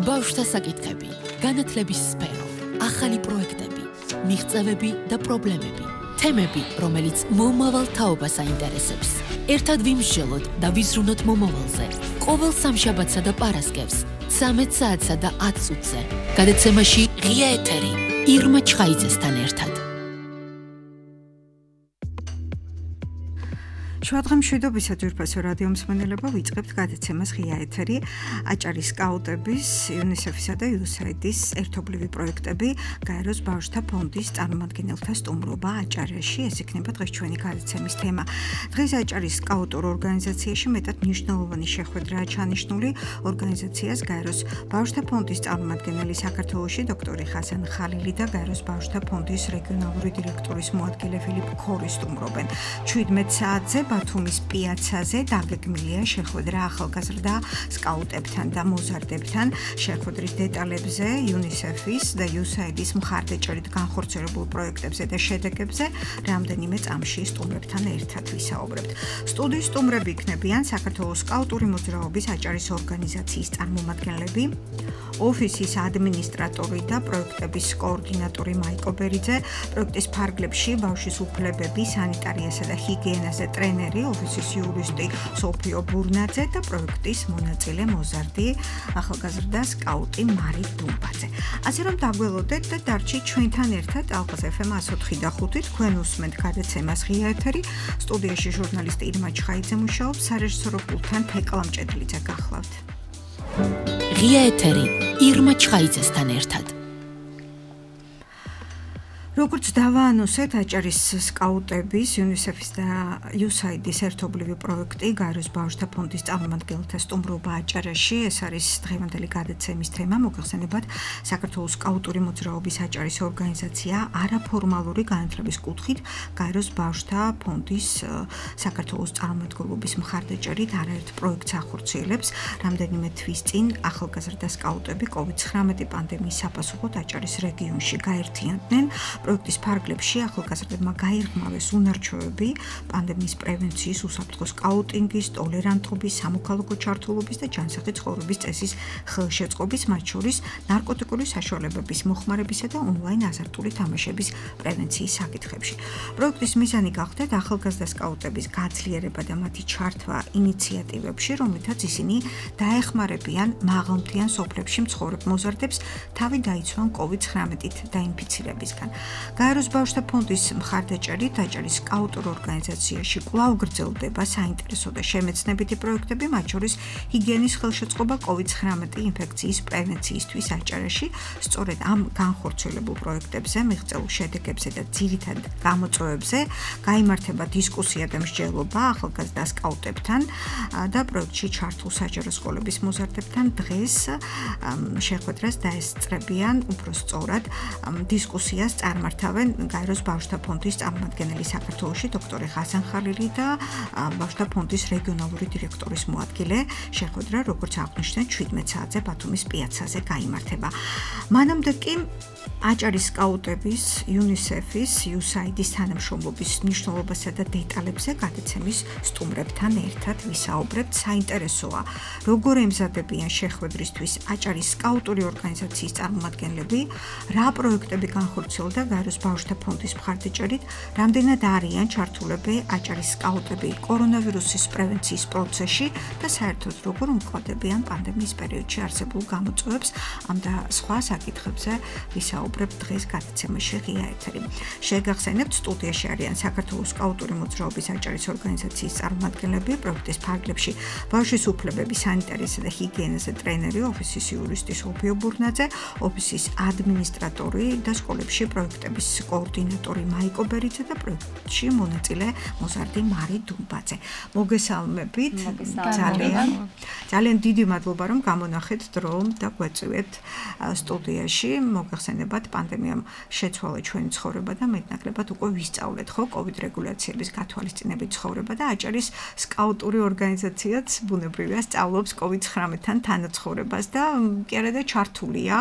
ბავშვთა საკითხები, განათლების სფერო, ახალი პროექტები, მიღწევები და პრობლემები, თემები, რომელიც მომავალ თაობას აინტერესებს. ერთად ვიმსჯელოთ და ვიზრუნოთ მომავალზე. ყოველ სამშაბათსა და პარასკევს, 13 საათსა და 10 წუთზე. გადაცემაში ღია ეთერი, ირმა ჩხაიძესთან ერთად. შუადღე მშვიდობისა ძვირფასო რადიო მსმენელებო, ვიწყებთ გადაცემას ღია ეთერი. აჭარის სკაუტების, იუნისეფისა და USAID-ის ერთობლივი პროექტები, გაეროს ბავშვთა ფონდის წარმომადგენელთა სტუმრობა აჭარაში. ეს იქნება დღეს ჩვენი გადაცემის თემა. დღეს აჭარის სკაუტურ ორგანიზაციაში მეტად მნიშვნელოვანი შეხვედრაა ჩანიშნული. ორგანიზაციას გაეროს ბავშვთა ფონდის წარმომადგენელი საქართველოში დოქტორი ხასან ხალილი და გაეროს ბავშვთა ფონდის რეგიონალური დირექტორის მოადგილე ფილიპ ქორი სტუმრობენ. 17 საათზე ბათუმის პიაცაზე დაგეგმილია შეხვედრა ახალგაზრდა სკაუტებთან და მოზარდებთან. შეხვედრის დეტალებზე UNICEF-ის და USAID-ის მხარდაჭერით განხორციელებულ პროექტებზე და შედეგებზე რამდენიმე წამში სტუმრებთან ერთად ვისაუბრებთ. სტუდიის სტუმრები იქნებიან საქართველოს სკაუტური მოძრაობის აჭარის ორგანიზაციის წარმომადგენლები, ოფისის ადმინისტრატორი და პროექტების კოორდინატორი მაიკო ბერიძე, პროექტის ფარგლებში ბავშვის უფლებები, სანიტარიასა და ჰიგიენაზე ტრენერი, ოფისის იურისტი სოფიო ბურნაძე და პროექტის მონაწილე მოზარდი ახალგაზრდა სკაუტი მარი დუმბაძე. ასე რომ დაგველოდეთ და დარჩით ჩვენთან ერთად ალყას FM 104.5 თქვენ უსმენთ გადაცემას ღია ეთერი. სტუდიაში ჟურნალისტი ირმა ჩხაიძე მუშაობს, სარეჟისორო პულტთან თეკლა მჭედლიძე გახლავთ. ღია ეთერი, ირმა ჩხაიძესთან ერთად. როგორც დავაანონსეთ, აჭარის სკაუტების, UNICEF-ის და USAID-ის ერთობლივი პროექტი, გაეროს ბავშვთა ფონდის წარმომადგენელთა სტუმრობა აჭარაში. ეს არის დღევანდელი გადაცემის თემა. მოგეხსენებათ, საქართველოს სკაუტური მოძრაობის აჭარის ორგანიზაცია არაფორმალური განათლების კუთხით გაეროს ბავშვთა ფონდის საქართველოს წარმომადგენლობის მხარდაჭერით არაერთ პროექტს ახორციელებს. რამდენიმე თვის წინ ახალგაზრდა სკაუტები COVID-19 პანდემიის საფასუხოდ აჭარის რეგიონში გაერთიანდნენ. პროექტის ფარგლებში ახალგაზრდებმა გაირღმავეს უნარჩვევები პანდემიის პრევენციის, უსაფრთხო სკაუტინგის, ტოლერანტობის, სამოქალაქო ჩართულობის და ჯანსაღი ცხოვრების წესის ხელშეწყობის, მათ შორის ნარკოტიკული საშუალებების მოხმარებისა და ონლაინ აზარტული თამაშების პრევენციის საკითხებში. პროექტის მიზანი გახდათ ახალგაზრდა სკაუტების გაძლიერება და მათი ჩართვა ინიციატივებში, რომლითაც ისინი დაეხმარებიან მაღალმთიან სოფლებში მცხოვრებ მოზარდებს თავი დაიცვან COVID-19-ით დაინფიცირებისგან. გაეროს ბავშვთა ფონდის მხარდაჭერით აჭარის სკაუტურ ორგანიზაციაში კვლავ გრძელდება საინტერესო და შემეცნებითი პროექტები, მათ შორის ჰიგიენის ხელშეწყობა COVID-19 ინფექციის პრევენციისთვის აჭარაში. სწორედ ამ განხორციელებულ პროექტებზე, მიღწეულ შედეგებზე და ძირითად გამოწვევებზე გაიმართება დისკუსია და მსჯელობა ახალგაზრდა სკაუტებთან და პროექტში ჩართულ საჯარო სკოლების მოზარდებთან. დღეს შეხვედრას დაესწრებიან უფრო სწორად დისკუსიას წარმართავენ გაეროს ბავშვთა ფონდის წარმომადგენელი საქართველოში დოქტორი ხასან ხალილი და ბავშვთა ფონდის რეგიონალური დირექტორის მოადგილე. შეხვედრა, როგორც აღნიშნეთ, 17 საათზე ბათუმის პიაცაზე გაიმართება. მანამდე კი აჭარის სკაუტების, UNICEF-ის, USAID-ის თანამშრომლობის მნიშვნელობასა და დეტალებზე გადაცემის სტუმრებთან ერთად ვისაუბრებთ. საინტერესოა, როგორ ემზადებიან შეხვედრისთვის აჭარის სკაუტური ორგანიზაციის წარმომადგენლები, რა პროექტები განხორციელდა გაეროს ბავშვთა ფონდის მხარდაჭერით, რამდენად არიან ჩართულები აჭარის სკაუტები კორონავირუსის პრევენციის პროცესში და საერთოდ როგორ უმკლადებიან პანდემიის პერიოდში არსებულ გამოწვევებს. ამ და სხვა საკითხებზე ვისაუბრებთ დღეს გადაცემაში ღია ეთერი. შეგახსენებთ, სტუდიაში არიან საქართველოს სკაუტური მოძრაობის აჭარის ორგანიზაციის წარმომადგენლები, პროექტის ფარგლებში ბავშვის უფლებები, სანიტარიასა და ჰიგიენაზე ტრენერი, ოფისის იურისტი სოფიო ბურნაძე, ოფისის ადმინისტრატორი და სკოლებში პროექტების კოორდინატორი მაიკო ბერიძე და პროექტში მონაწილე მოზარდი მარი დუმბაძე. მოგესალმებით. ძალიან დიდი მადლობა, რომ გამონახეთ დრო და გვეწევეთ სტუდიაში. მოგეხსენებათ, პანდემიამ შეცვალა ჩვენი ცხოვრება და მეტნაკლებად უკვე ვისწავლეთ ხო COVID რეგულაციების გათვალისწინებით ცხოვრება და აჭარის სკაუტური ორგანიზაციაც ბუნებრივია სწავლობს COVID-19-თან თანაცხოვრებას და კი არა და ჩართულია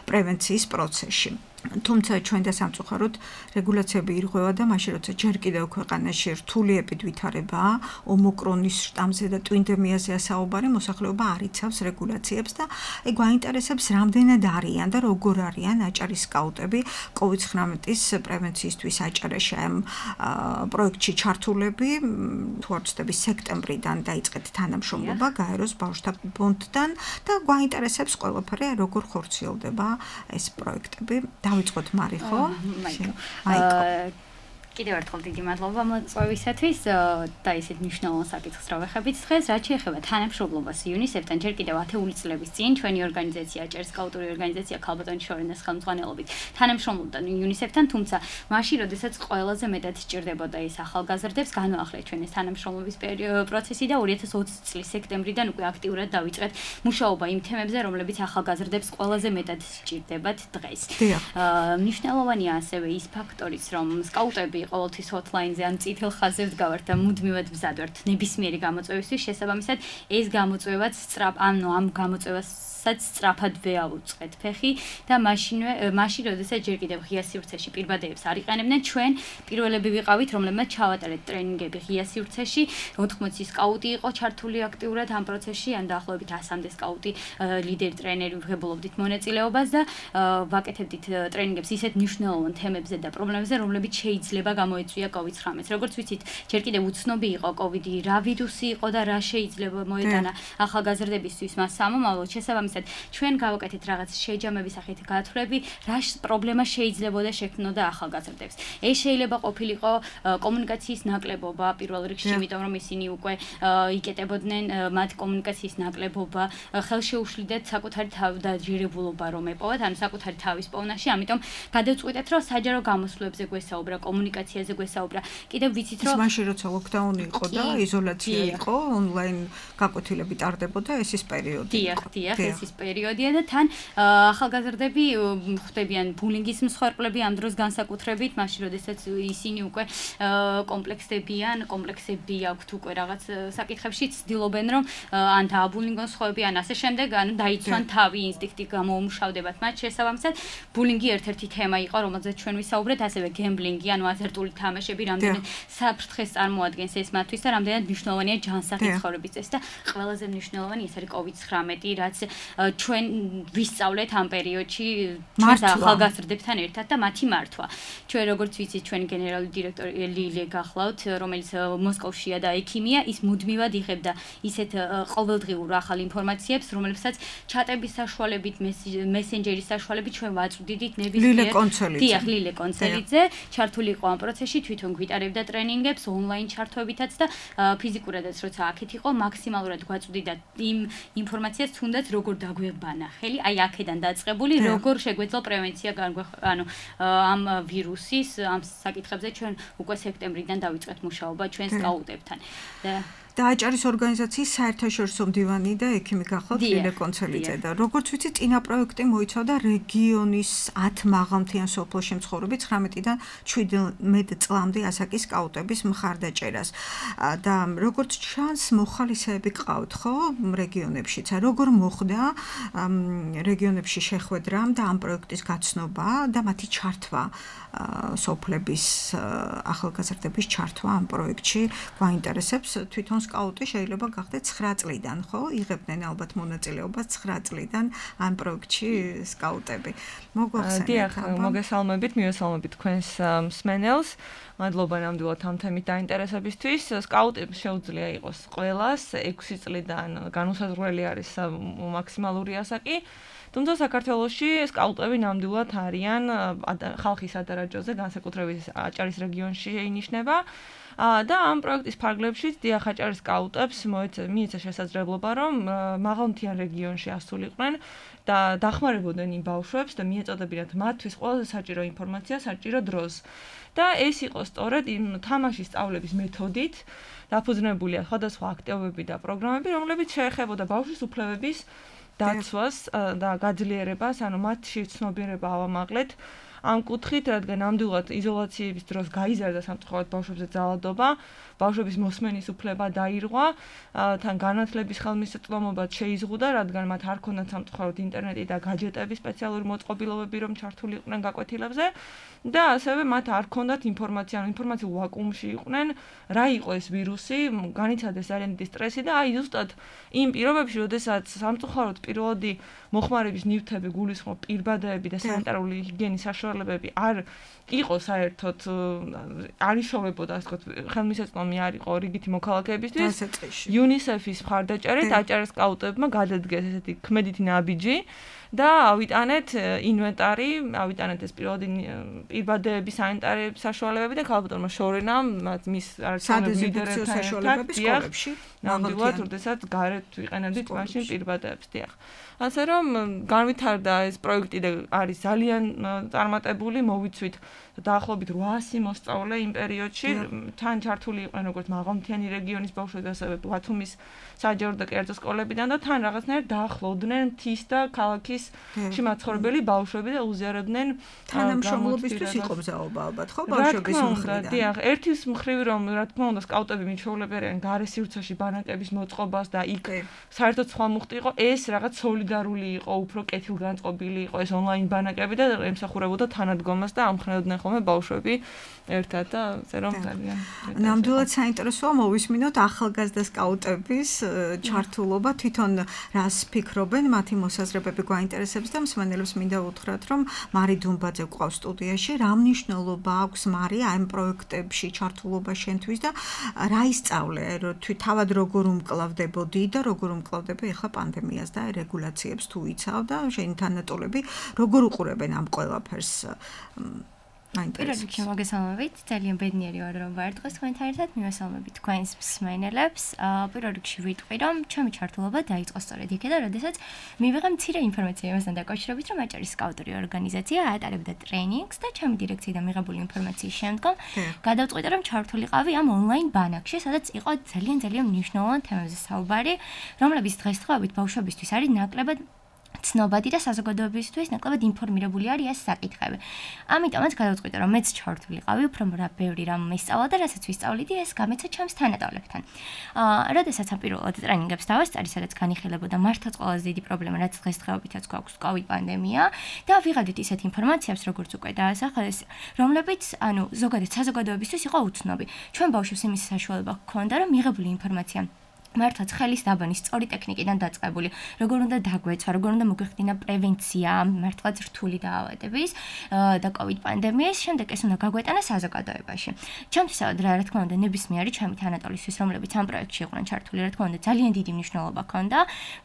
პრევენციის პროცესში. თუმცა ჩვენ და სამწუხაროდ რეგულაციები ირღვევა და მაშინ როცა ჯერ კიდევ ქვეყანაში რთული ეპიდვითარებაა, ომიკრონის შტამზე და ტვინდემიაზე ასაუბარი, მოსახლეობა არ იცავს რეგულაციებს და ეგ გვაინტერესებს რამდენად არიან და როგორ არიან აჭარის სკაუტები COVID-19-ის პრევენციისთვის აჭარაში ამ პროექტში ჩართულები. თუ არ ვცდები, სექტემბრიდან დაიწყეთ თანამშრომლობა გაეროს ბავშვთა ფონდთან და გვაინტერესებს ყველაფერი როგორ ხორციელდება ეს პროექტები. დავიწყოთ მარიხო. მაიკო. კიდევ ერთხელ დიდი მადლობა მოწვევისათვის და ისეთ მნიშვნელოვან საკითხს რა ვეხებით დღეს, რაც შეეხება თანამშრომლობას UNICEF-თან ჯერ კიდევ 10 წლების წინ ჩვენი ორგანიზაცია, აჭარის სკაუტური ორგანიზაცია ქალბატონი შორენას ხელმძღვანელობით თანამშრომლობდა UNICEF-თან, თუმცა მაშინ, როდესაც ყველაზე მეტად სჭირდებოდა ეს ახალგაზრდებს, განვაახლეთ ჩვენ ეს თანამშრომლობის პროცესი და 2020 წლის სექტემბრიდან უკვე აქტიურად დავიწყეთ მუშაობა იმ თემებზე, რომლებიც ახალგაზრდებს ყველაზე მეტად სჭირდებათ დღეს. მნიშვნელოვანია ასევე ის ფაქტორიც, რომ სკაუტები ყოველთვის hotline-ზე ან წითელ ხაზზე ვდგავართ და მუდმივად ვზად ვართ ნებისმიერი გამოწვევისთვის, შესაბამისად ეს გამოწვევაც ამ გამოწვევასაც სწრაფად ვეავუწყეთ ფეხი და მაშინ როდესაც ჯერ კიდევ ღია სივრცეში პირბადეებს არ იყენებდნენ, ჩვენ პირველები ვიყავით, რომლებმაც ჩავატარეთ ტრენინგები ღია სივრცეში, 80 სკაუტი იყო ჩართული აქტიურად ამ პროცესში, ან დაახლოებით 100-მდე სკაუტი ლიდერი ტრენერი ვღებულობდით მონაწილეობას და ვაკეთებდით ტრენინგებს ისეთ მნიშვნელოვან თემებზე და პრობლემებზე, რომლებიც შეიძლება გამოიწვია COVID-19. როგორც ვიცით, ჯერ კიდევ უცნობი იყო COVID-ი, რა ვირუსი იყო და რა შეიძლება მოეტანა ახალგაზრდებისთვის მას სამომავლოდ. შესაბამისად, ჩვენ გავაკეთეთ რაღაც შეჯამების სახით გათვლები, რა პრობლემა შეიძლებოდა შექმნოდა ახალგაზრდებს. ეს შეიძლება ყოფილიყო კომუნიკაციის ნაკლებობა პირველ რიგში, იმიტომ რომ ისინი უკვე იკეტებოდნენ მათ კომუნიკაციის ნაკლებობა, ხელშეუშლიდათ საკუთარი თავდაჯერებულობა რომ ეპოვათ, ანუ საკუთარი თავის პოვნაში, ამიტომ გადავწყვიტეთ, რომ საჯარო გამოსვლებზე გვესაუბრა, კომუნიკაციაზე გვესაუბრა. კიდევ ვიცით, რომ მაშინ როცა ლოკდაუნი იყო და იზოლაცია იყო, ონლაინ გაკვეთილები ტარდებოდა, ეს ის პერიოდი იყო. დიახ, ეს ის პერიოდია და თან ახალგაზრდები ხვდებიან ბულინგის მსხვერპლები ამ დროს განსაკუთრებით, მაშინ როდესაც ისინი უკვე კომპლექსები აქვთ უკვე რაღაც საკითხებში, ცდილობენ რომ ან დააბულინგონ სხვები, ან ასე შემდეგ, ან დაიცვან თავი, ინსტინქტი გამოუმუშავდებათ მათ. შესაბამისად, ბულინგი ერთ-ერთი თემა იყო, რომელზეც ჩვენ ვისაუბრეთ, ასევე გემბლინგი, ანუ აზარტული თამაშები, რამდენად საფრთხეს წარმოადგენს ეს მათთვის და რამდენად მნიშვნელოვანია ჯანსაღი ცხოვრების წესი და ყველაზე მნიშვნელოვანი ეს არის COVID-19, რაც ჩვენ ვისწავლეთ ამ პერიოდში ჩვენს ახალგაზრდებთან ერთად და მათი მართვა. ჩვენ როგორც ვიცით, ჩვენი გენერალური დირექტორი ლილე გახლავთ, რომელიც მოსკოვშია და ექიმია, ის მუდმივად იღებდა ისეთ ყოველდღიურ ახალ ინფორმაციებს, რომლებსაც ჩატების საშუალებით, მესენჯერის საშუალებით ჩვენ ვაწვდიდით ნებისმიერ ლილე კონცელიძე ჩართული იყო ამ პროცესში, თვითონ გვიტარებდა ტრენინგებს ონლაინ ჩართვებითაც და ფიზიკურადაც როცა აქეთ იყო, მაქსიმალურად გვაწვდიდა იმ ინფორმაციას, თუნდაც როგორ დაგვებანა ხელი, აი აქედან დაწყებული, როგორ შეგვეძლო პრევენცია ამ ვირუსის, ამ საკითხებზე ჩვენ უკვე სექტემბრიდან დავიწყეთ მუშაობა ჩვენ სკაუტებთან. და აჭარის ორგანიზაციის საერთაშორისო მდივანი და ექიმი გახლავთ ლილე კონცელიძე და როგორც ვიცი, წინა პროექტი მოიცავდა რეგიონის 10 მაღალმთიან სოფელში მცხოვრები 19-დან 17 წლამდე ასაკის სკაუტების მხარდაჭერას. და როგორც ჩანს, მოხალისეები ყავთ, ხო, რეგიონებშიც. როგორ მოხდა რეგიონებში შეხვედრა და ამ პროექტის გაცნობა და მათი ჩართვა, სოფლების ახალგაზრდების ჩართვა ამ პროექტში გვაინტერესებს. თვითონ სკაუტი შეიძლება გახდეთ 9 წლიდან, ხო? იღებდნენ ალბათ მონაწილეობას 9 წლიდან ამ პროექტში სკაუტები. დიახ, მოგესალმებით, მივესალმებით თქვენს მსმენელს. მადლობა ნამდვილად ამ თემით დაინტერესებისთვის. სკაუტებს შეუძლია იყოს ყველას 6 წლიდან განუსაზღვრელი არის მაქსიმალური ასაკი. თუმცა საქართველოში სკაუტები ნამდვილად არიან ხალხის ადარაჯოზე, განსაკუთრებით აჭარის რეგიონში ინიშნება. და ამ პროექტის ფარგლებშიც დიახ აჭარის სკაუტებს მიეცა შესაძლებლობა, რომ მაღალმთიან რეგიონში ასულიყვნენ და დახმარებოდნენ იმ ბავშვებს და მიეწოდებინათ მათთვის ყველაზე საჭირო ინფორმაცია საჭირო დროს. და ეს იყო სწორედ იმ თამაშის სწავლების მეთოდით დაფუძნებულია სხვადასხვა აქტივობები და პროგრამები, რომლებიც შეეხებოდა ბავშვის უფლებების დაცვას და გაძლიერებას, ანუ მათში ცნობიერება ავამაღლეთ ამ კუთხით, რადგან ნამდვილად იზოლაციების დროს გაიზარდა სამწუხაროდ ბავშვებზე ძალადობა, ბავშვების მოსმენის უფლება დაირღვა, თან განათლების ხელმისაწვდომობაც შეიზღუდა, რადგან მათ არ ქონდათ სამწუხაროდ ინტერნეტი და გაჯეტები, სპეციალური მოწყობილობები, რომ ჩართული იყვნენ გაკვეთილებზე და ასევე მათ არ ქონდათ ინფორმაცია, ინფორმაციულ ვაკუუმში იყვნენ, რა იყო ეს ვირუსი, განიცადეს ძალიან დიდი სტრესი და აი ზუსტად იმ პირობებში, როდესაც სამწუხაროდ პირველადი მოხმარების ნივთები, გულისხმობ პირბადეები და სანიტარული ჰიგიენის საშუალებები არ იყო საერთოდ არ იშოვებოდა, ასე ვთქვათ, ხელმისაწვდომი არ იყო რიგითი მოქალაქეებისთვის. UNICEF-ის მხარდაჭერით აჭარის სკაუტებმა გადადგეს ესეთი ქმედითი ნაბიჯი და ავიტანეთ ინვენტარი, ავიტანეთ ეს პირველადი პირბადეების სანიტარების საშუალებები და ქალბატონმა შორენამ მის სადეზინფექციო საშუალებები სკოლებში ნამდვილად, როდესაც გარეთ ვიყენებდით მაშინ პირბადეებს, დიახ. ასე რომ განვითარდა ეს პროექტი და არის ძალიან წარმატებული, მოვიცვით დაახლოებით 800 მოსწავლე იმ პერიოდში, თან ჩართული იყვნენ როგორც მაღალმთიანი რეგიონის ბავშვები, ასევე ბათუმის საჯარო და კერძო სკოლებიდან და თან რაღაცნაირად დაახლოვდნენ მთის და ქალაქის მაცხოვრებელი ბავშვები და უზიარებდნენ თანამშრომლობისთვის იყო მზაობა ალბათ, ხო, ბავშვების მხრიდან. დიახ, ერთის მხრივ რომ რა თქმა უნდა სკაუტები მითხოვლებიან გარე სივრცეში ბანაკების მოწყობას და იქ საერთოდ სხვა მუხტი იყო, ეს რაღაც სოლიდარული იყო, უფრო კეთილგანწყობილი იყო ეს ონლაინ ბანაკები და ემსახურებოდა თანადგომას და ამხნევდნენ ხოლმე ბავშვები ერთად და ასე რომ ძალიან ნამდვილად საინტერესოა მოვისმინოთ ახალგაზრდა სკაუტების ჩართულობა, თვითონ რას ფიქრობენ, მათი მოსაზრებები გვაინტერესებს და მსმენელებს მინდა უთხრათ, რომ მარი დუმბაძე გვყავს სტუდიაში, რა მნიშვნელობა აქვს მარი ამ პროექტებში ჩართულობა შენთვის და რა ისწავლე, თავად როგორ უმკლავდებოდი და როგორ უმკლავდება ახლა პანდემიას და რეგულაციებს თუ იცავ და შენი თანატოლები როგორ უყურებენ ამ ყველაფერს? პირველ რიგში მოგესალმებით, ძალიან ბედნიერი ვარ რომ ვარ დღეს თქვენთან ერთად, მივესალმებით თქვენს მსმენელებს. პირველ რიგში ვიტყვი რომ ჩემი ჩართულობა დაიწყო სწორედ იქედან, როდესაც მივიღე მცირე ინფორმაცია იმასთან დაკავშირებით, რომ აჭარის სკაუტური ორგანიზაცია ატარებდა ტრენინგს და ჩემი დირექციიდან მიღებული ინფორმაციის შემდგომ გადავწყვიტე რომ ჩართულიყავი ამ ონლაინ ბანაკში, სადაც იყო ძალიან მნიშვნელოვანი თემებზე საუბარი, რომლებიც დღესდღეობით ბავშვებისთვის არის ნაკლებად ცნობადი და საზოგადოებისთვის ნაკლებად ინფორმირებული არის ეს საკითხები. ამიტომაც გადავწყვიტე რომ მეც ჩართულიყავი, უფრო ბევრი რამ მისწავლა და რასაც ვისწავლიდი, ეს გამეცა ჩემს თანატოლებთან. როდესაც ამ პირველად ტრენინგებს დავასწარი, სადაც განიხილებოდა მართლაც ყველაზე დიდი პრობლემა, რაც დღესდღეობითაც გვაქვს COVID პანდემია და ვიღებდით ისეთ ინფორმაციებს, როგორც უკვე დაასახელეს, რომლებიც, ზოგადად საზოგადოებისთვის იყო უცნობი. ჩვენ ბავშვებს იმის საშუალება ჰქონდა, რომ მიღებული ინფორმაცია მართლაც ხელის დაბანის სწორი ტექნიკიდან დაწყებული, როგორ უნდა დაგვეცვა, როგორ უნდა მოგვიხდინა პრევენცია მართლაც რთული დაავადების და COVID პანდემიის, შემდეგ ეს უნდა გაგვეტანა საზოგადოებაში. ჩემთვისავად რა თქმა უნდა ნებისმიერი ჩემი თანატოლისთვის, რომლებიც ამ პროექტში იყვნენ ჩართული, რა თქმა უნდა ძალიან დიდი მნიშვნელობა ჰქონდა.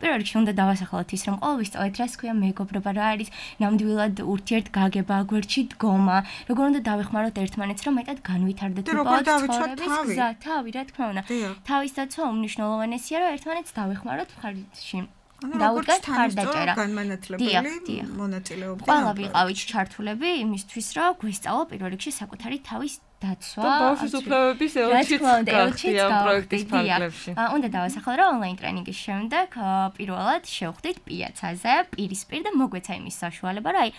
პირველ რიგში უნდა დავასახელოთ ის, რომ ყოველ ვისწავლეთ რას ქვია მეგობრობა, რა არის ნამდვილად ურთიერთგაგება, გვერდში დგომა, როგორ უნდა დავეხმაროთ ერთმანეთს, რომ მეტად განვითარდეთ ცხოვრების გზა, თავი, რა თქმა უნდა. თავის დაცვა უმნიშვნელო ესია რომ ერთმანეთს დავეხმაროთ მხარში. დაუდგათ მხარდაჭერა. განმანათლებელი მონაწილეობა. ყველა ვიყავით ჩართულები იმისთვის, რომ გვესწავლა პირველ რიგში საკუთარი თავის დაცვა. ბავშვის უფლებების ელჩიც გახდით ამ პროექტის ფარგლებში. უნდა დავასახელო რომ ონლაინ ტრენინგის შემდეგ პირველად შევხვდით პიაცაზე, პირისპირ და მოგვეცა იმის საშუალება, რომ აი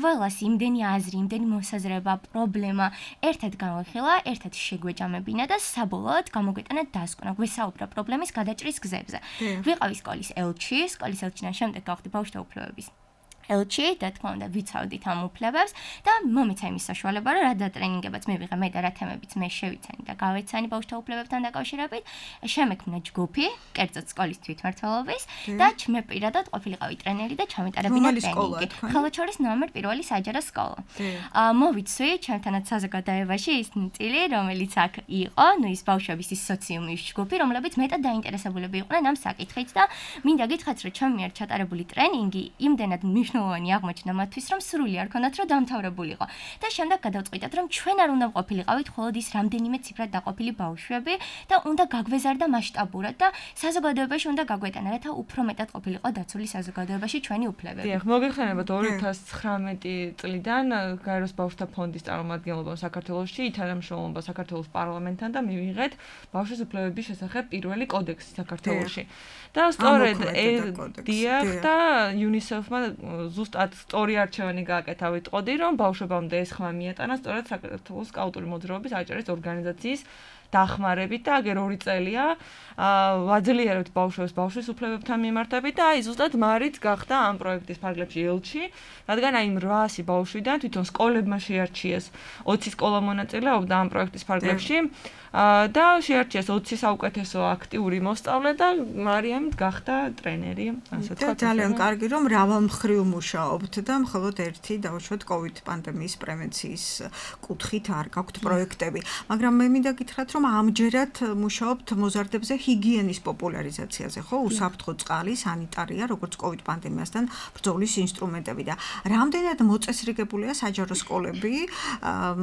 ყველას იმდენი აზრი, იმდენი მოსაზრება, პრობლემა ერთად განვიხილა, ერთად შეგვეჭამებინა და საბოლოოდ გამოგვეტანა დასკვნა, გვესაუბრა პრობლემის გადაჭრის გზებზე. ვიყავი სკოლის ელჩიდან შემდეგ გავხდი ბავშვთა უფლებების ელჩი და თქმა უნდა ვიცავდით ამ უფლებებს და მომეცა იმის საშუალება, რომ რა დატრენინგებაც მივიღე მე და რა თემებიც მე შევიცანი და გავეცანი ბავშვთა უფლებებთან დაკავშირებით, შემექმნა ჯგუფი, კერძოდ სკოლის თვითმმართველობის და მე პირადად ყოფილიყავი ტრენერი და ჩამეტარებინა ტრენინგი. ხელოჩორის ნომერ 1 საჯარო სკოლა. მოვიცვი ჩემთანაც საზოგადოებაში ის წილი, რომელიც აქ იყო, ის ბავშვების ის სოციუმის ჯგუფი, რომლებიც მეტად დაინტერესებულები იყვნენ ამ საკითხით და მინდა გითხრათ, რომ ჩემი მიერ ჩატარებული ტრენინგი იმდენად მნიშვნელოვანი აღმოჩნდა მათთვის, რომ სრული არ ქონდათ, რომ დამთავრებულიყო. და შემდეგ გადავწყვიტეთ, რომ ჩვენ არ უნდა ყოფილიყავით მხოლოდ ის რამდენიმე ციფრად დაყოფილი ბავშვები და უნდა გაგვეზარდა მასშტაბურად და საზოგადოებაში უნდა გაგვეტანა, რათა უფრო მეტად ყოფილიყო დაცული საზოგადოებაში ჩვენი უფლებები. დიახ, მოგეხსენებათ 2019 წლიდან გაეროს ბავშვთა ფონდის წარმომადგენლობა საქართველოში, თანამშრომლობა საქართველოს პარლამენტთან და მივიღეთ ბავშვის უფლებების შესახებ პირველი კოდექსი საქართველოში. და სწორედ დიახ და UNICEF-მა ზუსტად სწორი არჩევანი გააკეთა ვიტყოდი, რომ ბავშვებამდე ეს ხმა მიეტანა სწორედ საქართველოს სკაუტური მოძრაობის აჭარის ორგანიზაციის დახმარებით და აგერ 2 წელია ვაძლიერებთ ბავშვებს ბავშვის უფლებებთან მიმართებით და აი ზუსტად მარიც გახდა ამ პროექტის ფარგლებში ელჩი, რადგან აი 800 ბავშვიდან თვითონ სკოლებმა შეარჩიეს 20 სკოლა მონაწილეობდა ამ პროექტის ფარგლებში და შეარჩიეს 20 საუკეთესო აქტიური მოსწავლე და მარიამით გახდა ტრენერი, ასე თქვა. ძალიან კარგი რომ მრავალმხრივ მუშაობთ და მხოლოდ ერთი დავუშვათ COVID პანდემიის პრევენციის კუთხით არ გაქვთ პროექტები, მაგრამ მე მინდა გითხრათ რომ ამჯერად მუშაობთ მოზარდებზე ჰიგიენის პოპულარიზაციაზე, ხო? უსაფრთხო წყალი, სანიტარია, როგორც COVID პანდემიასთან ბრძოლის ინსტრუმენტები და რამდენად მოწესრიგებულია საჯარო სკოლები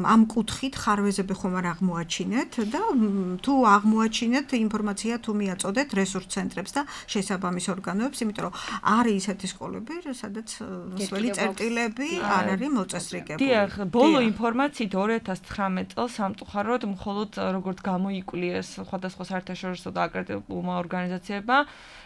ამ კუთხით ხარვეზები ხომ არ აღმოაჩინეთ და თუ აღმოაჩინეთ ინფორმაცია თუ მიაწოდეთ რესურს ცენტრებს და შესაბამის ორგანოებს, იმიტომ რომ არის ისეთი სკოლები, სადაც მსველი წერტილები არ არის მოწესრიგებული. დიახ, ბოლო ინფორმაციით 2019 წელს სამწუხაროდ მხოლოდ როგორც გამოიკვლიეს სხვადასხვა საერთაშორისო და აკრედიტებულმა ორგანიზაციებმა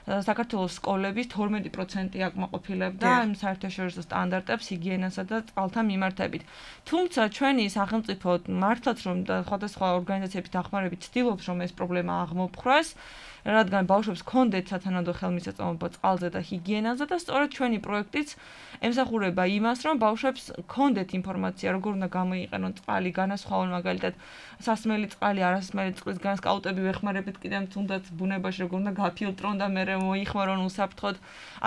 საქართველოს სკოლების 12% აკმაყოფილებდა იმ საერთაშორისო სტანდარტებს ჰიგიენასა და წყალთან მიმართებით. თუმცა ჩვენი სახელმწიფო მართლაც რომ სხვადასხვა ორგანიზაციების დახმარებით ცდილობს რომ ეს პრობლემა აღმოფხვრას, რადგან ბავშვებს ჰქონდეთ სათანადო ხელმისაწვდომობა წყალზე და ჰიგიენაზე და სწორედ ჩვენი პროექტიც ემსახურება იმას, რომ ბავშვებს ჰქონდეთ ინფორმაცია, როგორ უნდა გამოიყენონ წყალი, განასხვაონ მაგალითად სასმელი წყალი, არასმელი წყლისგან სკაუტები ვეხმარებით კიდევ თუნდაც ბუნებაში როგორ უნდა გაფილტრონ და მერე მოიხმარონ უსაფრთხოდ.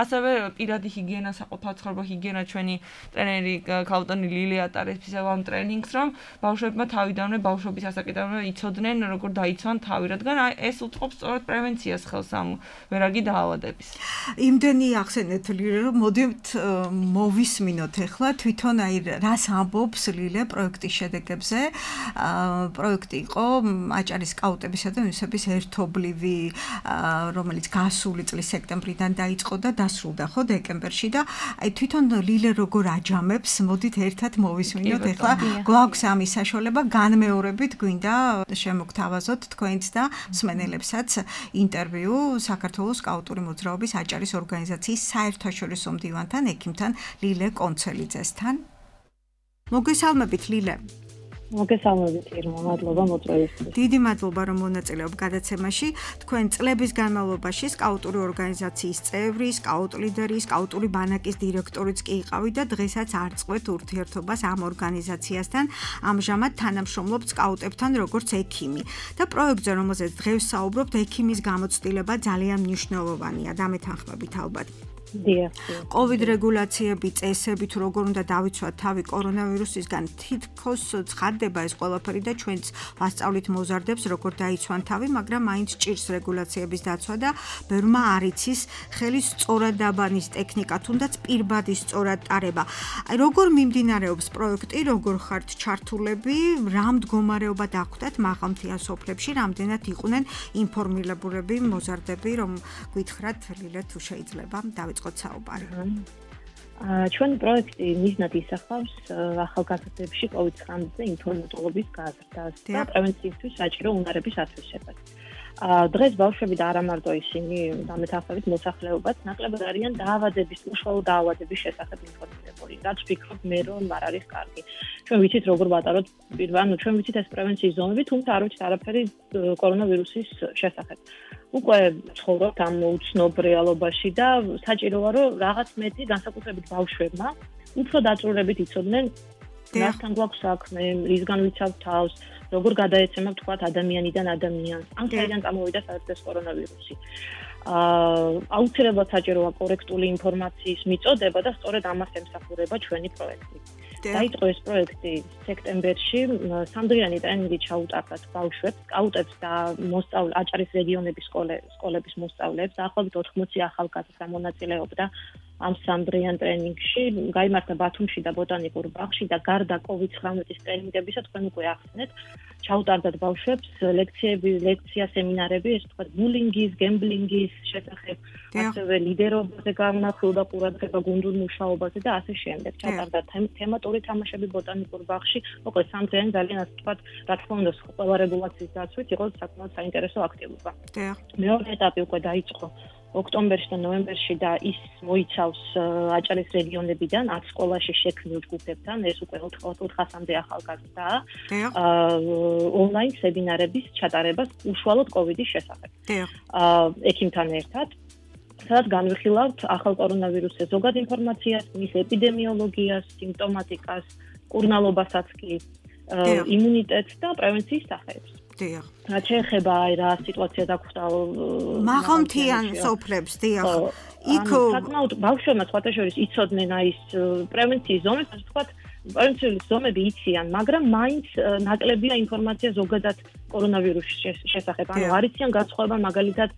ასევე პირადი ჰიგიენა, საყოფაცხოვრებო ჰიგიენა ჩვენი ტრენერი ქალბატონი ლილი ატარებს ისევ ამ ტრენინგს, რომ ბავშვებმა თავიდანვე ბავშვობის ასაკიდანვე იცოდნენ როგორ დაიცვან თავი, რადგან ეს უწყობს სწორედ პრევენციას ხელს ამ ვერაგი დაავადების. იმდენი ახსენეთ ლილე, რომ მოდით მოვისმინოთ ახლა თვითონ აი რას ამბობს ლილე პროექტის შედეგებზე. პროექტი იყო აჭარის სკაუტებისა და იუნისეფის ერთობლივი, რომელიც გასული წლის სექტემბრიდან დაიწყო და დასრულდა ხო დეკემბერში და აი თვითონ ლილე როგორ აჯამებს, მოდით ერთად მოვისმინოთ ახლა. გვაქვს ამის საშუალება, განმეორებით გვინდა შემოგთავაზოთ თქვენც და მსმენელებსაც ინტერვიუ საქართველოს სკაუტური მოძრაობის აჭარის ორგანიზაციის საერთაშორისო მდივანთან, ექიმთან ლილე კონცელიძესთან. მოგესალმებით ლილე. მოგესალმებით ირმა, მადლობა მოწვევისთვის. დიდი მადლობა რომ მონაწილეობ გადაცემაში. თქვენ წლების განმავლობაში სკაუტური ორგანიზაციის წევრი, სკაუტ ლიდერი, სკაუტური ბანაკის დირექტორიც კი იყავით და დღესაც არწყვეთ ურთიერთობას ამ ორგანიზაციასთან. ამჟამად თანამშრომლობთ სკაუტებთან როგორც ექიმი. და პროექტზე, რომელზეც დღეს საუბრობთ, ექიმის გამოცდილება ძალიან მნიშვნელოვანია. დამეთანხმებით ალბათ. COVID რეგულაციები, წესები თუ როგორ უნდა დავიცვათ თავი კორონავირუსისგან, თითქოს ცხადდება ეს ყველაფერი და ჩვენც ვასწავლით მოზარდებს როგორ დაიცვან თავი, მაგრამ მაინც ჭირს რეგულაციების დაცვა და ბევრმა არ იცის ხელის სწორად დაბანის ტექნიკა, თუნდაც პირბადი სწორად ტარება. აი როგორ მიმდინარეობს პროექტი, როგორ ხართ ჩართულები, რა მდგომარეობა დახვდათ მაღალმთიან სოფლებში, რამდენად იყვნენ ინფორმირებულები მოზარდები, რომ გითხრათ ლილე თუ შეიძლება დავიწყოთ საუბარი. ჩვენი პროექტი მიზნად ისახავს ახალგაზრდებში COVID-19 ინფორმატოლოგიის გაზრდას და პრევენციისთვის საჭირო უნარების ათვისებას. დღეს ბავშვები და არა მარტო ისინი დამეთანხმებით მოსახლეობაც ნაკლებად არიან დაავადების, უშუალო დაავადების შესახებ ინფორმირებული. რაც ვფიქრობ მე რომ არ არის კარგი. ჩვენ ვიცით როგორ ვატაროთ ანუ ჩვენ ვიცით ეს პრევენციის ზონები, თუმცა არ ვიცით არაფერი კორონავირუსის შესახებ. უკვე ცხოვრობთ ამ უცნობ რეალობაში და საჭიროა რომ რაღაც მეტი განსაკუთრებით ბავშვებმა უფრო დაწვრილებით იცოდნენ რასთან გვაქვს საქმე, რისგან ვიცავთ თავს, როგორ გადაეცემა თქვათ ადამიანიდან ადამიანს. ან საიდან წამოვიდა საერთოდ კორონავირუსი. აუცილებლად საჭიროა კორექტული ინფორმაციის მიწოდება და სწორედ ამას ემსახურება ჩვენი პროექტი. დაიწყო ეს პროექტი სექტემბერში, სამდრიანი ტრენინგი ჩაუტარდათ ბავშვებს, სკაუტებს და აჭარის რეგიონების სკოლების მოსწავლეებს, დაახლოებით 80 ახალგაზრდა მონაწილეობდა ამ სამდრიან ტრენინგში, გაიმართა ბათუმში და ბოტანიკურ ბაღში და გარდა COVID-19 ტრენინგებისა, თქვენ უკვე ახსნეთ, ჩაუტარდათ ბავშვებს ლექცია, სემინარები, ეს თქვა ბულინგის, გემბლინგის შესახებ, ასევე ლიდერობაზე განმახვილდა ყურადღება გუნდურ მუშაობაზე და ასე შემდეგ. ჩატარდა თემატური თამაშები ბოტანიკურ ბაღში, მოკლედ სამდრიანი ძალიან ასე თქვა, რა თქმა უნდა, ყველა რეგულაციის დაცვით იყო საკმაოდ საინტერესო აქტივობა. მეორე ეტაპი უკვე დაიწყო ოქტომბერში და ნოემბერში და ის მოიცავს აჭარის რეგიონებიდან 10 სკოლაში შექმნილ ჯგუფებთან, ეს უკვე 400-მდე ახალგაზრდაა. ონლაინ სემინარების ჩატარებას უშუალოდ კოვიდის შესახებ. ექიმთან ერთად სადაც განვიხილავთ ახალ კორონავირუსზე ზოგად ინფორმაციას, მის ეპიდემიოლოგიას, სიმპტომატიკას, კურნალობასაც კი, იმუნიტეტს და პრევენციის სახეებს. რაც შეეხება რა სიტუაცია დაგვხვდა მაღალმთიან სოფლებს, იქ საკმაოდ ბავშვებმა სხვათა შორის იცოდნენ ის პრევენციის ზომებს, ასე ვთქვათ, პრევენციული ზომები იციან, მაგრამ მაინც ნაკლებია ინფორმაცია ზოგადად კორონავირუსის შესახებ. ანუ არ იციან განსხვავება მაგალითად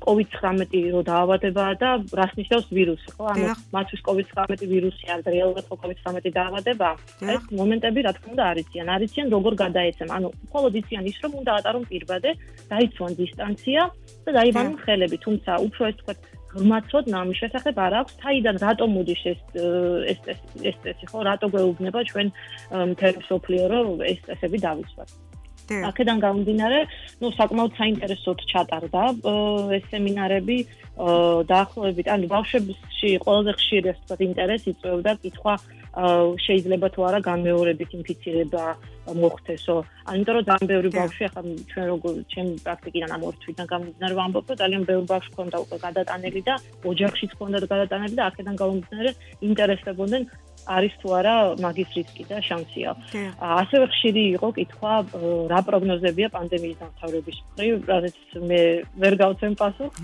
COVID-19 რო დაავადებაა და რას ნიშნავს ვირუსი, ხო? ანუ მათთვის COVID-19 ვირუსი არ რეალურად COVID-19 დაავადება. ეს მომენტები რა თქმა უნდა არ იციან როგორ გადაეცემ. ანუ მხოლოდ იციან ის რომ უნდა ატარონ პირბადე, დაიცვან დისტანცია და დაიბანონ ხელები, თუმცა უფრო ეს თქვა ღრმაცოდნა ამის შესახებ არ აქვს, თაიდან რატომ მოდის ეს სტრესი, ხო, რატო გვეუბნება ჩვენ მთელი მსოფლიო რომ ეს სტრესები დავიცვათ. აქედან გამომდინარე, საკმაოდ საინტერესოდ ჩატარდა ეს სემინარები დაახლოებით, ანუ ბავშვებში ყველაზე ხშირი ასე ვთქვათ ინტერესი იწვევდა კითხვა შეიძლება თუ არა განმეორებით ინფიცირება მოხდესო. იმიტომ რომ ძალიან ბევრი ბავშვი ახლა ჩვენ როგორ ჩემი პრაქტიკიდან ამ ორ თვიდან გამომდინარე ვამბობ, რომ ძალიან ბევრი ბავშვი ქონდა უკვე გადატანილი და ოჯახშიც ქონდა გადატანილი და აქედან გამომდინარე ინტერესდებოდნენ არის თუ არა მაგის რისკი და შანსია. ასევე ხშირი იყო კითხვა რა პროგნოზებია პანდემიის დამთავრების მხრივ, რაც მე ვერ გავცემ პასუხს.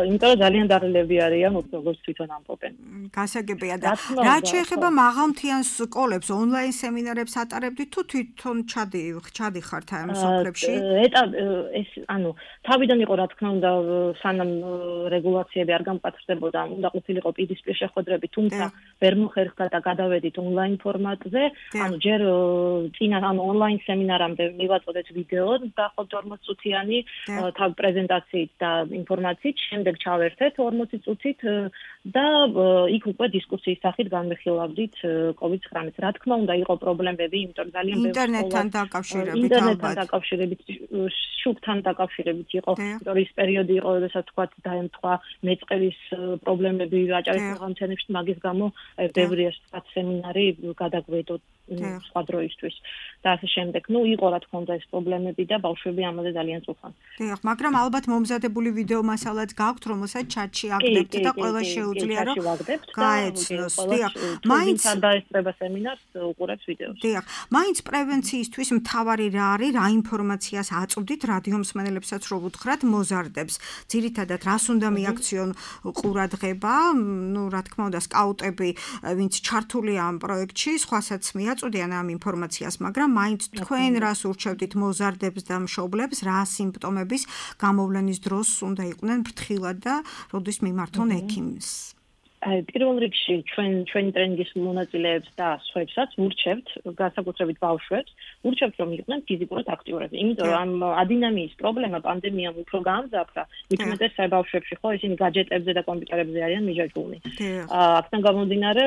იმიტომ რომ ძალიან დაღლილები არიან, როგორც თვითონ ამბობენ. გასაგებია და რაც შეეხება მაღალმთიან სკოლებს, ონლაინ სემინარებს ატარებდით თუ თვითონ ჩადიხართ ამ სოფლებში? ეს ანუ თავიდან იყო რა თქმა უნდა სანამ რეგულაციები არ გამყარდებოდა, უნდა ყოფილიყო პირისპირ შეხვედრები, თუმცა ვერ მოხერხდა და გადავედით ონლაინ ფორმატზე, ანუ ჯერ წინა ანუ ონლაინ სემინარამდე მივაწოდეთ ვიდეო დაახლოებით 40 წუთიანი თავ პრეზენტაციით და ინფორმაციით, შემდეგ ჩავერთეთ 40 წუთით და იქ უკვე დისკუსიის სახით განვიხილავდით COVID-19. რა თქმა უნდა, იყო პრობლემები, იმიტომ ძალიან ბევრი ინტერნეტთან დაკავშირებით, შუბთან დაკავშირებით იყო, იმიტომ ის პერიოდი იყო, როდესაც თქვა დაემთხვა მეწყერის პრობლემები აჭარის მაღალმთიანებში, მაგის გამო ბევრი ასე ვთქვათ სემინარი გადაგვედო სხვა დროისთვის და ასე შემდეგ. იყო რა თქმა უნდა ეს პრობლემები და ბავშვები ამაზე ძალიან წუხან. მაგრამ ალბათ მომზადებული ვიდეო მასალაც გაქვთ, რომელსაც ჩატში აგდებთ და ყველა შეუძლია რომ გაეცნოს. მაინც არ დაესწრება სემინარს, უყურებს ვიდეოს. მაინც პრევენციისთვის მთავარი რა არის, რა ინფორმაციას აწვდით რადიო მსმენელებსაც რო უთხრათ მოზარდებს. ძირითადად რას უნდა მიაქციონ ყურადღება, რა თქმა უნდა სკაუტები, ვინც ჩართულია ამ პროექტში, სხვასაც მიაწვდიან ამ ინფორმაციას, მაგრამ მაინც თქვენ რას ურჩევდით მოზარდებს და მშობლებს, რა სიმპტომების გამოვლენის დროს უნდა იყვნენ ფრთხილად და როდის მიმართონ ექიმს? პირველ რიგში ჩვენი ტრენინგის მონაწილეებს და სხვებსაც ვურჩევთ, განსაკუთრებით ბავშვებს, ვურჩევთ რომ იყვნენ ფიზიკურად აქტიურები. იმიტომ რომ ამ ადინამიის პრობლემა პანდემიამ უფრო გაამძაფრა, მithumetes ბავშვებში, ხო, ისინი გაჯეტებზე და კომპიუტერებზე არიან მიჯაჭვულნი. აქედან გამომდინარე,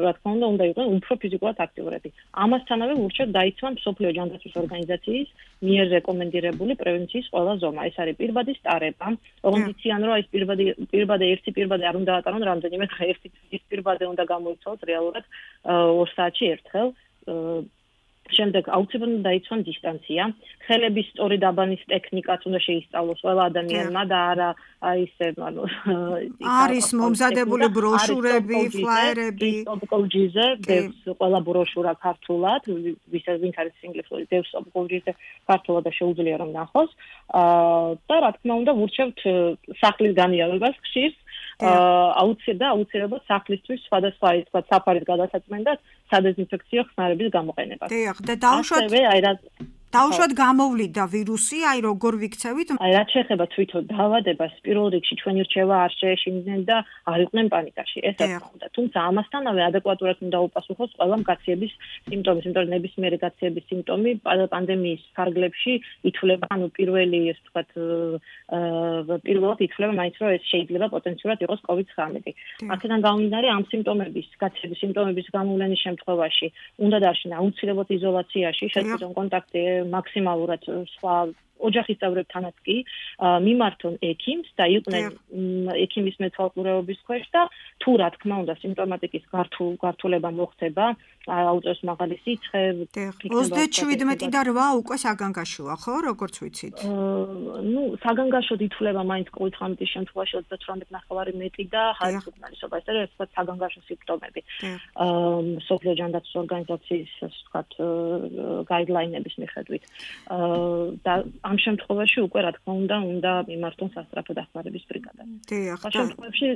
რა თქმა უნდა იყვნენ უფრო ფიზიკურად აქტიურები. ამასთანავე ვურჩევთ დაიცვან მსოფლიო ჯანდაცვის ორგანიზაციის მიერ რეკომენდირებული პრევენციის ყველა ზომა. ეს არის პირბადი სტარება, ოღონდ იციან რომ ეს ერთი პირბადე არ უნდა ატარონ რამდენიმე ერთი პირბადე უნდა გამოიცვალოს რეალურად 2 საათში ერთხელ. შემდეგ აუცილებლად დაიცვან დისტანცია, ხელების სწორი დაბანის ტექნიკაც უნდა შეისწავლოს ყველა ადამიანმა და არა ისე არის მომზადებული ბროშურები, ფლაიერები, სტოპ-კოუჯიზე, დევს ყველა ბროშურა ქართულად, ვინც არის ინგლისური, დევს სტოპ-კოუჯიზე ქართულად და შეუძლია რომ ნახოს. და რა თქმა უნდა ვურჩევთ სახლის განიარებას ხშირს. აუცილებლად სახლისთვის სხვადასხვა ის თქვა საფარის გადასაწმენდად სადეზინფექციო ხსნარების გამოყენებას. და დაუშვათ გამოვლიდა ვირუსი, როგორ ვიქცევით? რაც შეეხება თვითონ დაავადებას, პირველ რიგში ჩვენი რჩევა არ შეეშინდნენ და არ იყვნენ პანიკაში. ეს რა თქმა უნდა, თუმცა ამასთანავე ადეკვატურად უნდა უპასუხოს ყველა მკაციების სიმპტომის, იმიტომ რომ ნებისმიერი გაცილების სიმპტომი პანდემიის ფარგლებში ითვლება, ანუ პირველად ითვლება მაინც რომ ეს შეიძლება პოტენციურად იყოს COVID-19. აქედან გამომდინარე ამ გაცილების სიმპტომების გამოვლენის შემთხვევაში უნდა დარჩნენ აუცილებლად იზოლაციაში, შეწყვეტონ კონტაქტი მაქსიმალურად სხვა ოჯახის წევრებთანაც კი მიმართონ ექიმს და იყვნენ ექიმის მეთვალყურეობის ქვეშ და თუ რა თქმა უნდა სიმპტომატიკის გართულება მოხდება აუწევს მაღალი სიცხე 37 და 8 უკვე საგანგაშოა ხო როგორც ვიცით საგანგაშოდ ითვლება მაინც COVID-19 შემთხვევაში 38.9 მეტი და ხარისხის უკმარისობა ეს არის ვთქვათ საგანგაშო სიმპტომები სოფლიო ჯანდაცვის ორგანიზაციის ასე ვთქვათ გაიდლაინების მიხედვით და ამ შემთხვევაში უკვე რა თქმა უნდა მიმართონ სასწრაფო დახმარების ბრიგადას ამ შემთხვევაში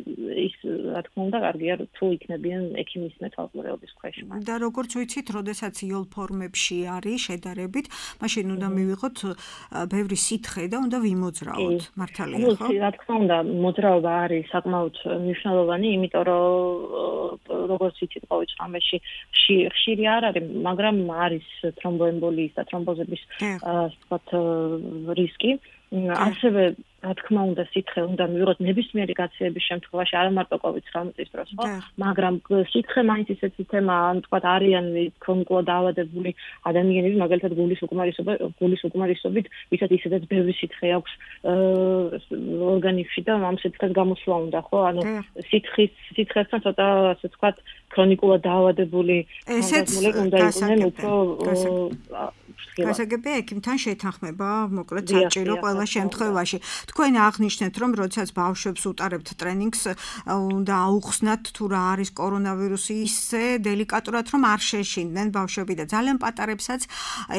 ის რა თქმა უნდა კარგია თუ იქნებიან ექიმის მეთვალყურეობის ქვეშ და როგორც ვიცით, როდესაც იოლ ფორმებში არის შედარებით, მაშინ უნდა მივიღოთ ბევრი სითხე და უნდა ვიმოძრაოთ. მართალია ხო? რა თქმა უნდა, მოძრაობა არის საკმაოდ მნიშვნელოვანი, იმიტომ რომ როგორც ვიცით, ყოველ წამებში ხშირი არ არის, მაგრამ არის თრომბოემბოლიის და თრომბოზების ვთქვათ რისკი. ასევე რა თქმა უნდა სითხე უნდა მივიღოთ ნებისმიერი გაცილების შემთხვევაში არა მარტო COVID-19 დროს ხო მაგრამ სითხე მაინც ისეთი თემაა თქვა არიან ქრონიკულად დაავადებული ადამიანები მაგალითად გულის უკმარისობით ვისაც ისედაც ბევრი სითხე აქვს ორგანიზმში და ამ სითხეს გამოსვლა უნდა ხო ანუ სითხესთან ცოტა ასე თქვა ქრონიკულად დაავადებული ადამიანები უნდა იყვნენ უფრო გასაგებია ექიმთან შეთანხმება მოკლედ საჭირო ყველა შემთხვევაში თქვენ აღნიშნეთ რომ როდესაც ბავშვებს უტარებთ ტრენინგს უნდა აუხსნათ თუ რა არის კორონავირუსი ისე დელიკატურად რომ არ შეშინდნენ ბავშვები და ძალიან პატარებსაც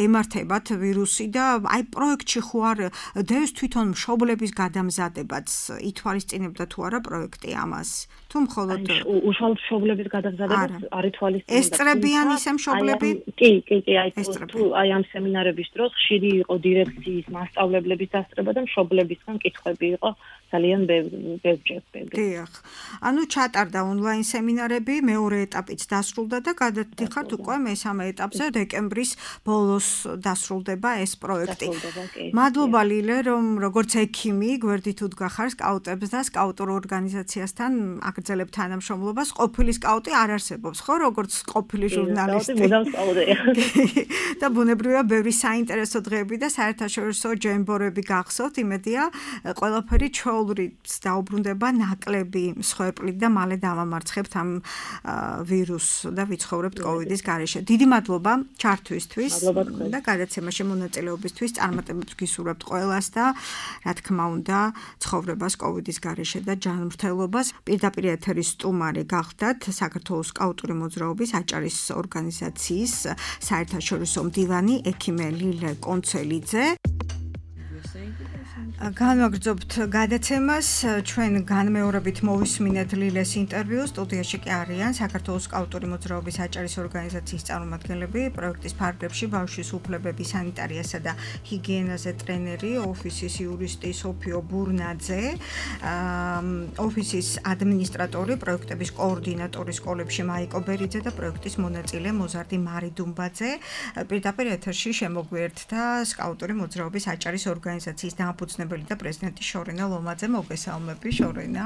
ემართებათ ვირუსი და აი პროექტში ხო არ დევს თვითონ მშობლების გადამზადებაც ითვალისწინებდა თუ არა პროექტი ამას თუ მხოლოდ უშუალოდ მშობლების გადამზადებას არ ითვალისწინებდა ესწრებიან ისე მშობლები კი აი ამ სემინარების დროს ხშირი იყო დირექციის მასწავლებლების დასწრება და მშობლებისგან კითხვები იყო ძალიან ბევრი. დიახ. ანუ ჩატარდა ონლაინ სემინარები, მეორე ეტაპიც დასრულდა და გადადიხართ უკვე მესამე ეტაპზე დეკემბრის ბოლოს დასრულდება ეს პროექტი. მადლობა ლილე, რომ როგორც ექიმი გვერდით უდგახარ სკაუტებს და სკაუტურ ორგანიზაციასთან აგრძელებთ თანამშრომლობას. ყოფილი სკაუტი არ არსებობს, ხო, როგორც ყოფილი ჟურნალისტი. და ბუნებრივია ბევრი საინტერესო დღეები და საერთაშორისო ჯემბორები გახსოვთ, იმედია ყველაფერი ჩვეულებრივ დაუბრუნდება ნაკლები მსხვერპლით და მალე დავამარცხებთ ამ ვირუსს და ვიცხოვრებთ კოვიდის გარეშე. დიდი მადლობა ჩართვისთვის და გადაცემაში მონაწილეობისთვის. წარმატებებს გისურვებთ ყველას და რა თქმა უნდა ცხოვრებას კოვიდის გარეშე და ჯანმრთელობას. პირდაპირ ეთერის სტუმარი გახდათ საქართველოს სკაუტური მოძრაობის აჭარის ორგანიზაციის საერთაშორისო მდივანი ექიმე ლილე კონცელიძე. განვაგრძობთ გადაცემას ჩვენ განმეორებით მოვისმინეთ ლილეს ინტერვიუს სტუდიაში კი არიან საქართველოს სკაუტური მოძრაობის აჭარის ორგანიზაციის წარმომადგენლები პროექტის ფარგლებში ბავშვის უფლებები სანიტარიასა და ჰიგიენაზე ტრენერი ოფისის იურისტი სოფიო ბურნაძე ოფისის ადმინისტრატორი პროექტების კოორდინატორი სკოლებში მაიკო ბერიძე და პროექტის მონაწილე მოზარდი მარი დუმბაძე პირდაპირ ეთერში შემოგვიერთდა სკაუტური მოძრაობის აჭარის ორგანიზაციის დამფუძნებელი და პრეზიდენტი შორენა ლომაძე მოგესალმები შორენა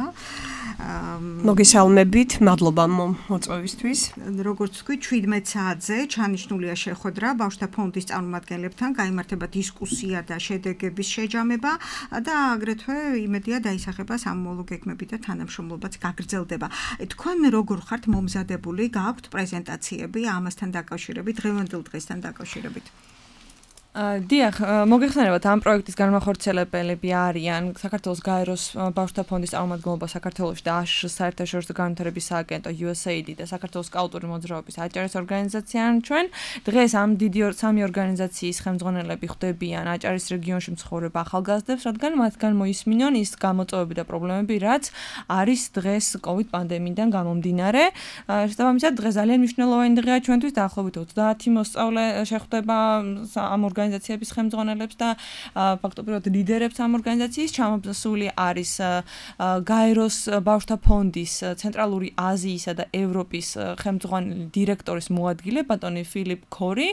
მოგესალმებით მადლობა მოწვევისთვის როგორც თქვი 17 საათზე ჩანიშნულია შეხვედრა ბავშვთა ფონდის წარმომადგენლებთან გაიმართება დისკუსია და შედეგების შეჯამება და აგრეთვე იმედია დაისახება სამომავლო გეგმები და თანამშრომლობაც გაგრძელდება თქვენ როგორ ხართ მომზადებული გააქვთ პრეზენტაციები ამასთან დაკავშირებით დღევანდელ დღესთან დაკავშირებით დიახ, მოგეხსენებათ ამ პროექტის განმახორციელებელები არიან საქართველოს გაეროს ბავშვთა ფონდის წარმომადგენლობა საქართველოში და აშშ საერთაშორისო განვითარების სააგენტო USAID და საქართველოს სკაუტური მოძრაობის აჭარის ორგანიზაცია ჩვენ დღეს ამ დიდი სამი ორგანიზაციის ხელმძღვანელები ხვდებიან აჭარის რეგიონში მცხოვრებ ახალგაზრდებს, რადგან მათგან მოისმინონ ის გამოწვევები და პრობლემები, რაც არის დღეს COVID პანდემიიდან გამომდინარე. შესაბამისად, დღეს ძალიან მნიშვნელოვანი დღეა ჩვენთვის, დაახლოებით 30 მოსწავლე შეხვდება ამ ორგანიზაციების ხელმძღვანელებს და ფაქტობრივად ლიდერებს ამ ორგანიზაციის ჩამოსული არის გაეროს ბავშვთა ფონდის ცენტრალური აზიისა და ევროპის ხელმძღვანელი დირექტორის მოადგილე ბატონი ფილიპ ქორი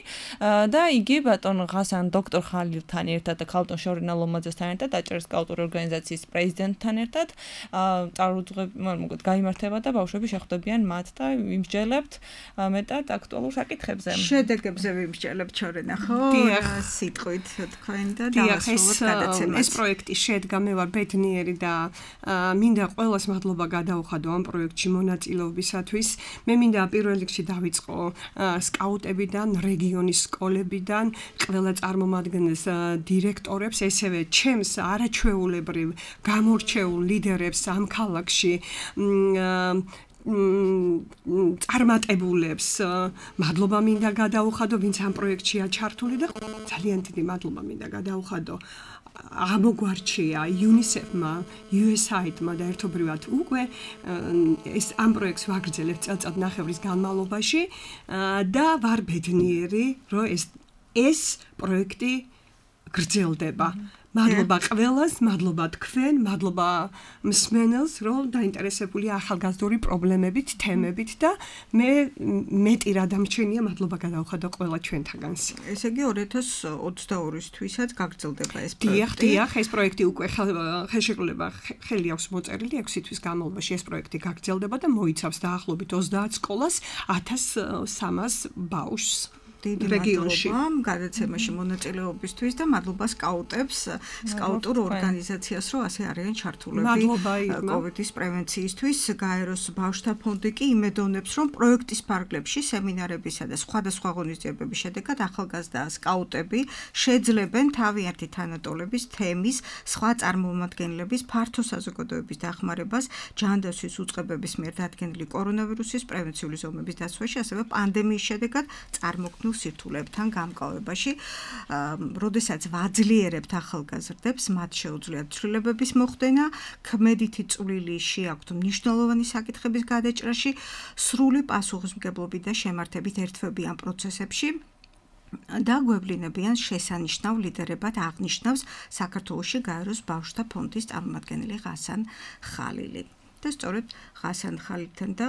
და იგი ბატონ ღასან დოქტორ ხალილთან ერთად და ქალბატონ შორენა ლომაძესთან ერთად აჭარის სკაუტური ორგანიზაციის პრეზიდენტთან ერთად წარუძღებ გაიმართება და ბავშვები შეხვდებიან მათ და ვიმსჯელებთ მეტად აქტუალურ საკითხებზე. შედეგებზე ვიმსჯელებთ შორენა ხო? სიტყვით თქვენ და დავასრულოთ გადაცემას. ეს პროექტი შედგა მე ვარ ბედნიერი და მინდა ყველას მადლობა გადავხადო ამ პროექტში მონაწილეობისათვის. მე მინდა პირველ რიგში დავიწყო სკაუტებიდან, რეგიონის სკოლებიდან, ყველა წარმომადგენელს, დირექტორებს, ესევე ჩემს არაჩვეულებრივ გამორჩეულ ლიდერებს ამ ქალაქში წარმატებულებს მადლობა მინდა გადაუხადო, ვინც ამ პროექტშია ჩართული და ძალიან დიდი მადლობა მინდა გადაუხადო ამოგვარჩია UNICEF-მა, USAID-მა და ერთობრივად უკვე ეს ამ პროექტს ვაგრძელებთ წელწადნახევრის განმავლობაში და ვარ ბედნიერი, რომ ეს პროექტი გრძელდება. მადლობა ყველას, მადლობა თქვენ, მადლობა მსმენელს, რომ დაინტერესებულია ახალგაზრდული პრობლემებით, თემებით და მე მეტი რა დამჩენია, მადლობა გადავხადო ყველა ჩვენთაგანს. ესე იგი 2022-ისაც გაგრძელდება ეს პროექტი. დიახ, ეს პროექტი უკვე ხელშეკრულება ხელი აქვს მოწერილი 6 თვის განმავლობაში ეს პროექტი გაგრძელდება და მოიცავს დაახლოებით 30 სკოლას, 1300 ბავშვს. დიდი მადლობა გადაცემაში მონაწილეობისთვის და მადლობა სკაუტებს, სკაუტურ ორგანიზაციას, რომ ასე არიან ჩართულები COVID-ის პრევენციისთვის. გაეროს ბავშვთა ფონდი კი იმედოვნებს, რომ პროექტის ფარგლებში, სემინარებისა და სხვადასხვა ღონისძიებების შედეგად ახალგაზრდა სკაუტები შეძლებენ თავიანთი თანატოლების, თემის, სხვა წარმომადგენლების ფართო საზოგადოების დახმარებას ჯანდაცვის უწყებების მიერ დადგენილი კორონავირუსის პრევენციული ზომების დაცვაში, ასევე პანდემიის შედეგად წარმოქმნილ სირთულებთან გამკავებაში, როდესაც ვაძლიერებთ ახალგაზრდებს, მათ შეუძლიათ ცვლილებების მოხდენა, ქმედითი წვლილი შეაქვთ მნიშვნელოვანი საკითხების გადაჭრაში, სრული პასუხისმგებლობით და შემართებით ერთვებიან პროცესებში და გვევლინებიან შესანიშნავ ლიდერებად აღნიშნავს საქართველოში გაეროს ბავშვთა ფონდის წარმომადგენელი ღასან ხალილი. და სწორედ ღასან ხალილთან და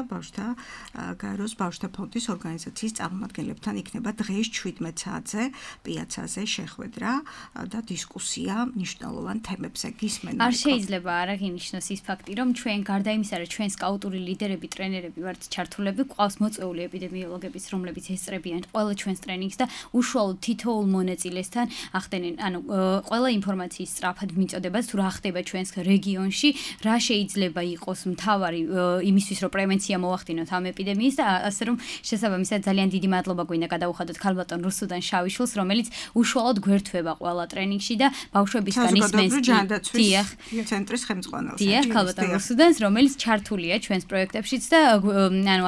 გაეროს ბავშვთა ფონდის ორგანიზაციის წარმომადგენლებთან იქნება დღეს 17 საათზე პიაცაზე შეხვედრა და დისკუსია მნიშვნელოვან თემებზე. გისმენთ? არ შეიძლება არ აღინიშნოს ის ფაქტი, რომ ჩვენ გარდა იმისა, რომ ჩვენ სკაუტური ლიდერები, ტრენერები ვართ ჩართულები, გვყავს მოწვეული ეპიდემიოლოგებიც, რომლებიც ესწრებიან ყველა ჩვენს ტრენინგს და უშუალოდ თითოეულ მონაწილესთან ახდენენ, ყველა ინფორმაციის სწრაფად მიწოდებას თუ რა ხდება ჩვენს რეგიონში, რა შეიძლება იყოს მთავარი იმისთვის, რომ პრევენცია მოახდინოთ ამ ეპიდემიის და ასე რომ შესაბამისად ძალიან დიდი მადლობა გვინდა გადაუხადოთ ქალბატონ რუსუდან შავიშვილს, რომელიც უშუალოდ გვერდება ყველა ტრენინგში და ბავშვებისგან ისმენს ცენტრის ხელმძღვანელს. დიახ, ქალბატონ რუსუდანს, რომელიც ჩართულია ჩვენს პროექტებშიც და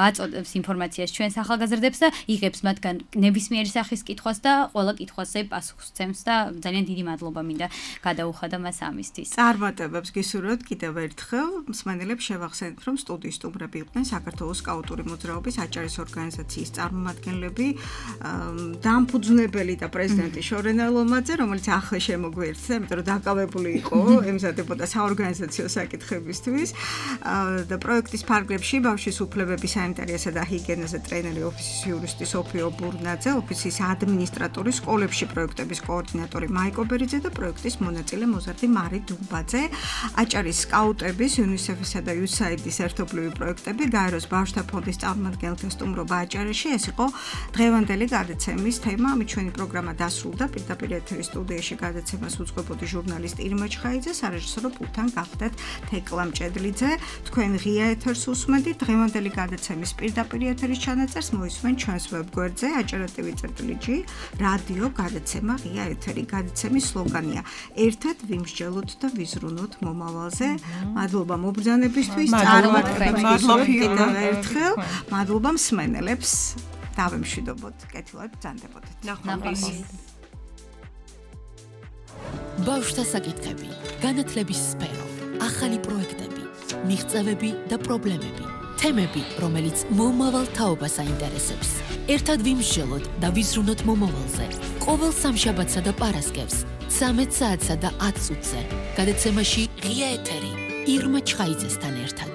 აწოდებს ინფორმაციას ჩვენს ახალგაზრდებს და იღებს მათგან ნებისმიერი სახის კითხვას და ყველა კითხვაზე პასუხს სცემს და ძალიან დიდი მადლობა მინდა გადაუხადა მას ამისთვის. წარმატებებს გისურვებთ კიდევ ერთხელ. მსმენელებს შევახსენებთ, რომ სტუდიის სტუმრები იყვნენ საქართველოს სკაუტური მოძრაობის აჭარის ორგანიზაციის წარმომადგენლები, დამფუძნებელი და პრეზიდენტი შორენა ლომაძე, რომელიც ახლა შემოგვიერთდა, იმიტომ რომ დაკავებული იყო ემზადებოდა საორგანიზაციო საკითხებისთვის და პროექტის ფარგლებში ბავშვის უფლებების სანიტარიასა და ჰიგიენაზე ტრენერი ოფისის იურისტი სოფიო ბურნაძე, ოფისის ადმინისტრატორი, სკოლებში პროექტების კოორდინატორი მაიკო ბერიძე და პროექტის მონაწილე მოზარდი მარი დუმბაძე, აჭარის სკაუტების, UNICEF-ისა და USAID-ის ერთობლივი პროექტები, გაეროს ბავშვთა ფონდის წარმომადგენელთა სტუმრობა აჭარაში. ეს იყო დღევანდელი გადაცემის თემა. ამით ჩვენი პროგრამა დასრულდა. პირდაპირ ეთერის სტუდიაში გადაცემას უძღვებოდი ჟურნალისტი ირმა ჩხაიძე, სარეჟისორო პულტთან გახდათ თეკლა მჭედლიძე. თქვენ ღია ეთერს უსმენთ. დღევანდელი გადაცემის პირდაპირ ეთერის ჩანაწერს მოისმენთ ჩვენს ვებგვერდზე aჭara.tv/g რადიო გადაცემა ღია ეთერი. გადაცემის სლოგანია: ერთად ვიმსჯელოთ და ვიზრუნოთ მომავალზე. მადლობა მობრძანებისთვის, წარმატებებს კიდევ ერთხელ. მადლობა მსმენელებს. დავემშვიდობოთ, კეთილად ბრძანდებოდეთ. ნახვამდის. ბავშვთა საკითხები, განათლების სფერო, ახალი პროექტები, მიღწევები და პრობლემები, თემები, რომელიც მომავალ თაობას აინტერესებს. ერთად ვიმსჯელოთ და ვიზრუნოთ მომავალზე. ყოველ სამშაბათსა და პარასკევს 13 საათსა და 10 წუთზე. გადაცემაში ღია ეთერი ირმა ჩხაიძესთან ერთად.